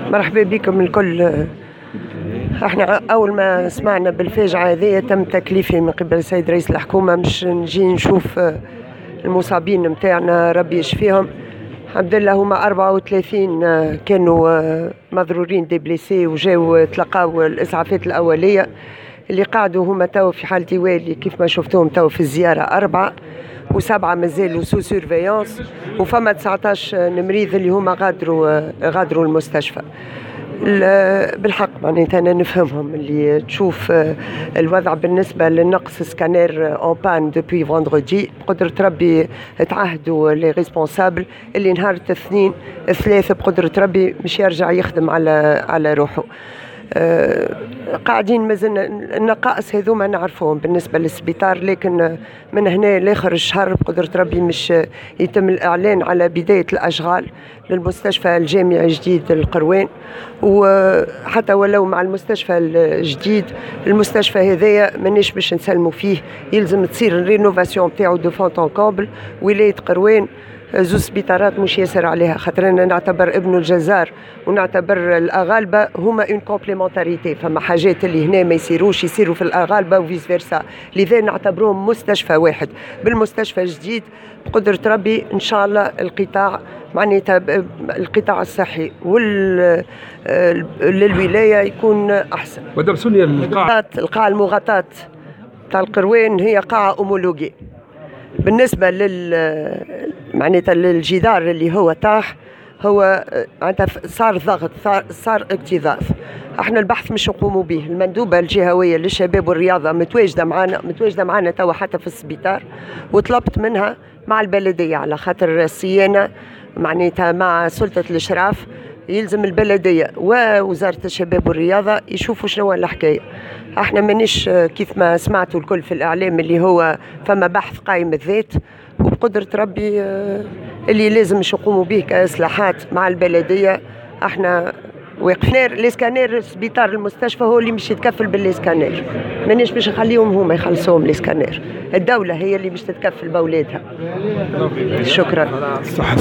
مرحبا بكم الكل. احنا اول ما سمعنا بالفاجعه هذه تم تكليفي من قبل السيد رئيس الحكومة مش نجي نشوف المصابين نتاعنا، ربي يشفيهم. الحمد لله هما 34 كانوا مضرورين des blessés وجاو تلقاو الاسعافات الاولية. اللي قعدوا هما تو في حاله والي كيف ما شفتوهم تو في الزيارة 4 و7 مازالوا sous surveillance، وفما 19 مريض اللي هما غادروا المستشفى. بالحق معناتها انا نفهمهم اللي تشوف الوضع بالنسبة للنقص scanner en panne depuis vendredi. بقدره ربي تعهدوا les responsables اللي نهار الاثنين الثلاث بقدره ربي مش يرجع يخدم على روحه. قاعدين مازلنا النقائص هذوما نعرفوهم بالنسبة للسبيطار، لكن من هنا لاخر الشهر بقدره ربي مش يتم الاعلان على بداية الاشغال للمستشفى الجامعي الجديد القروان. وحتى ولو مع المستشفى الجديد، المستشفى هذايا مانيش باش نسلموا فيه، يلزم تصير ال rénovation تاعو de fond en comble. ولاية قروان زوز سبيطارات مش ياسر عليها، خاطر انا نعتبر ابن الجزار ونعتبر الاغالبه هما une complémentarité، فما حاجات اللي هنا ما يصيروش يصيروا في الاغالبه و vice versa، لذا نعتبروهم مستشفى واحد. بالمستشفى الجديد بقدرة ربي ان شاء الله القطاع معناتها القطاع الصحي وال للولاية يكون احسن. مدام سونيا، القاعة القاعة المغطاه تاع القروان هي قاعة homologuée. بالنسبة لل معناتها للجدار اللي هو طاح، هو معناتها صار ضغط، صار اكتظاظ. احنا البحث مش نقوموا به، المندوبه الجهوية للشباب والرياضة متواجده معنا توا حتى في السبيطار، وطلبت منها مع البلدية على خاطر الصيانة معناتها مع سلطة الاشراف، يلزم البلدية ووزارة الشباب والرياضة يشوفوا شنو الحكايه. احنا مانيش كيف ما سمعتوا الكل في الاعلام اللي هو فما بحث قائم الذات، وبقدره ربي اللي لازم نقوموا به كاصلاحات مع البلدية احنا واقفين. les scanners، سبيطار المستشفى هو اللي مش يتكفل بال les scanners، مانيش باش نخليهم هما يخلصوهم les scanners، الدولة هي اللي باش تتكفل باولادها. شكرا. صح.